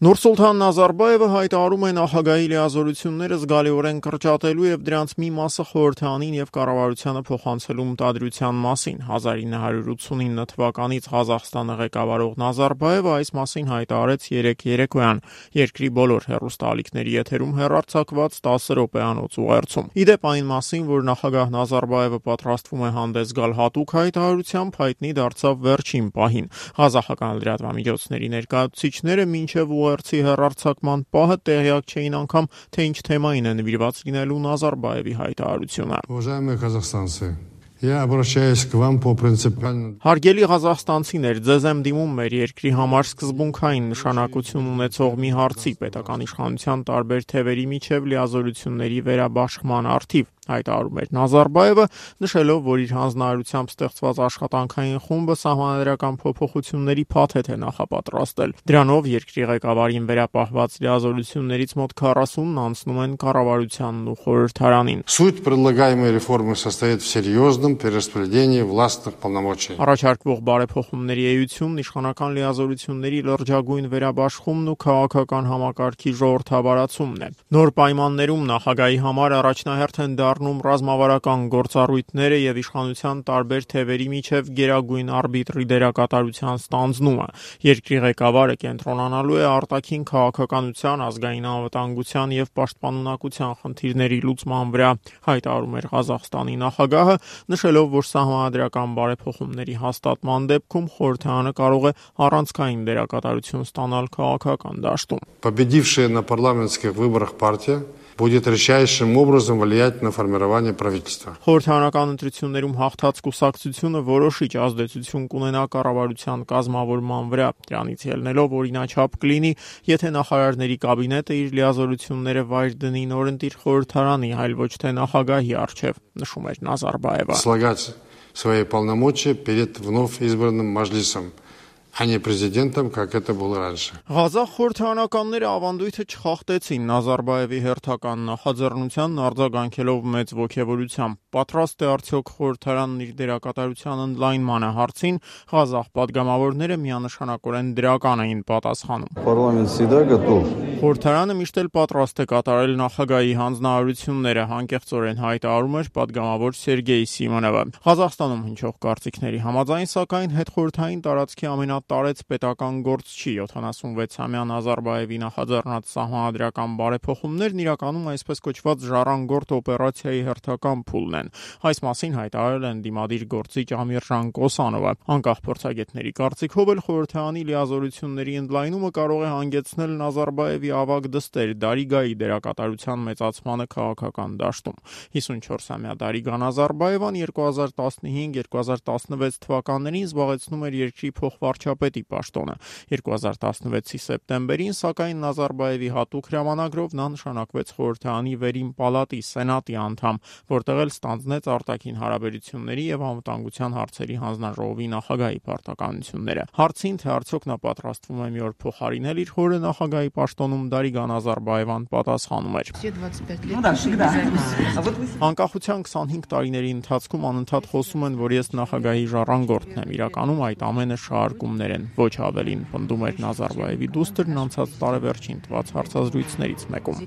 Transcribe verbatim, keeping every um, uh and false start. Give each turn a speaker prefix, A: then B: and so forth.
A: Նուրսուլթան Նազարբաևը հայտարարում է նախագահի լիազորությունները զգալիորեն կրճատելու եւ դրանց մի մասը խորհրդանին եւ կառավարությանը փոխանցելու մտադրության մասին։ հազար ինը հարյուր ութսունինը թվականից Ղազախստանը ղեկավարող Նազարբաևը այս մասին հայտարարեց երեկ երեկոյան երկրի բոլոր հեռուստաալիքների եթերում հեռարձակված տասը րոպեանոց ուղերձում։ Իդեպ այն մասին, որ նախագահ Նազարբաևը պատրաստվում է հանդես գալ հատուկ հայտարարությամբ, հայտնի դարձավ վերջին պահին։ Ղազախական լրատվամիջոցների ներկայացուցիչները մինչև Ուղերձի հեռարձակման պահը տեղյակ չէին անգամ, թե ինչ թեմային է նվիրված լինելու Նազարբաևի հայտարարությունը։
B: Уважаемые казахстанцы, я обращаюсь к вам по принципиальному.
A: Հարգելի ղազախստանցիներ, ձեզ եմ դիմում մեր երկրի համար սկզբունքային նշանակություն ունեցող մի հարցի պետական իշխանության տարբեր թևերի միջև լիազորությունների վերաբաշխման առթիվ, հայտարարում էր Նազարբաևը, նշելով, որ իր հանձնարարությամբ ստեղծված աշխատանքային խումբը սահմանադրական փոփոխությունների փաթեթ է նախապատրաստել։ Դրանով երկրի ղեկավարին վերապահված լիազորություններից մոտ քառասունն անցնում են կառավարությանն ու խորհրդարանին։
B: Суть предлагаемой реформы состоит в серьезном перераспределении властных полномочий.
A: Առաջարկվող բարեփոխումների էությունն իշխանական լիազորությունների լրջագույն վերաբաշխումն ու քաղաքական համակարգի ժողովրդավարացումն է։ Նոր պայմաններում նախագահի համար առաջնահերթ են դառնում ռազմավարական գործառույթները եւ իշխանության տարբեր թևերի միջև գերագույն արբիտրի դերակատարության ստանձնումը։ Երկրի ղեկավարը կենտրոնանալու է արտաքին քաղաքականության, ազգային անվտանգության եւ պաշտպանունակության խնդիրների լուծման վրա, հայտարարում էր Ղազախստանի նախագահը, նշելով, որ սահմանադրական բարեփոխումների հաստատման դեպքում խորհրդարանը կարող է առանցքային դերակատարություն ստանալ քաղաքական դաշտում։
B: Победившая на парламентских выборах партия будет решающим образом влиять на формирование правительства.
A: Խորհրդարանական ընտրություններում հաղթած կուսակցությունը որոշիչ ազդեցություն կունենա կառավարության կազմավորման վրա, դրանից ելնելով օրինաչափ կլինի, եթե նախարարների կաբինետը իր լիազորությունները վայր дни նորընտիր խորհրդարանի, այլ ոչ թե նախագահի առջև, նշում էր Նազարբաևը։
B: Слагать свои полномочия перед вновь избранным Маджлисом, а не президентом, как это было раньше.
A: Ղազախ խորհրդարանականները ավանդույթը չխախտեցին Նազարբաևի հերթական նախաձեռնությանն արձագանքելով մեծ ոգևորությամբ։ Պատրաստ է արդյոք խորհրդարանն իր դերակատարության ընդլայնմանը հարցին, ղազախ падգամավորները միանշանակորեն դրական էին պատասխանում։
C: Парламент всегда готов.
A: Խորհրդարանը միշտ էլ պատրաստ է կատարել նախագահի հանձնարարությունները, հանկեղծորեն հայտարարում էր падգամավոր Սերգեյ Սիմոնովը։ Ղազախստանում հնչող կարծիքների համաձայն, սակայն հետխորհրդային տարածքի ամենատարեց պետական գործ չի յոթանասունվեցամյա Նազարբաևի նախաձեռնած սահմանադրական բարեփոխումներն իրականում այսպես կոչված ժառանգորդ օպերացիայի հերթական փուլն են։ Այս մասին հայտարարել են դիմադիր գործիչ Ամիրժան Կոսանովը։ Անկախ փորձագետների կարծիքով էլ խորհրդարանի լիազորությունների ընդլայնումը կարող է հանգեցնել Նազարբաևի ավագ դստեր Դարիգայի դերակատարության մեծացմանը քաղաքական դաշտում։ հիսունչորսամյա Դարիգա Նազարբաևան երկու հազար տասնհինգ երկու հազար տասնվեց թվականներին զբաղեցնում էր երկրի փոխվարչապետի պաշտոնը։ երկու հազար տասնվեցի սեպտեմբերին, սակայն Նազարբաևի հատուկ հրամանագրով նա նշանակվեց խորհրդարանի վերին պալատի սենատի անդամ, որտեղ էլ ստանձնեց արտաքին հարաբերությունների եւ անվտանգության հարցերի հանձնաժողովի նախագահի պարտականությունները։ Հարցին, թե արդյոք նա պատրաստվում է մի օր փոխարինել իր հորը նախագահի պաշտոնում, Դարիգա Նազարբաևան պատասխանում էր. Անկախության քսանհինգ տարիների ընթացքում անընդհատ խոսում են, որ ես նախագահի ժառանգորդն եմ, իրականում այդ ամենը շարժումներ են, ոչ ավելին, պնդում էր Նազարբաևի դուստրն անցած տարեվերջին տված հարցազրույցներից մեկում։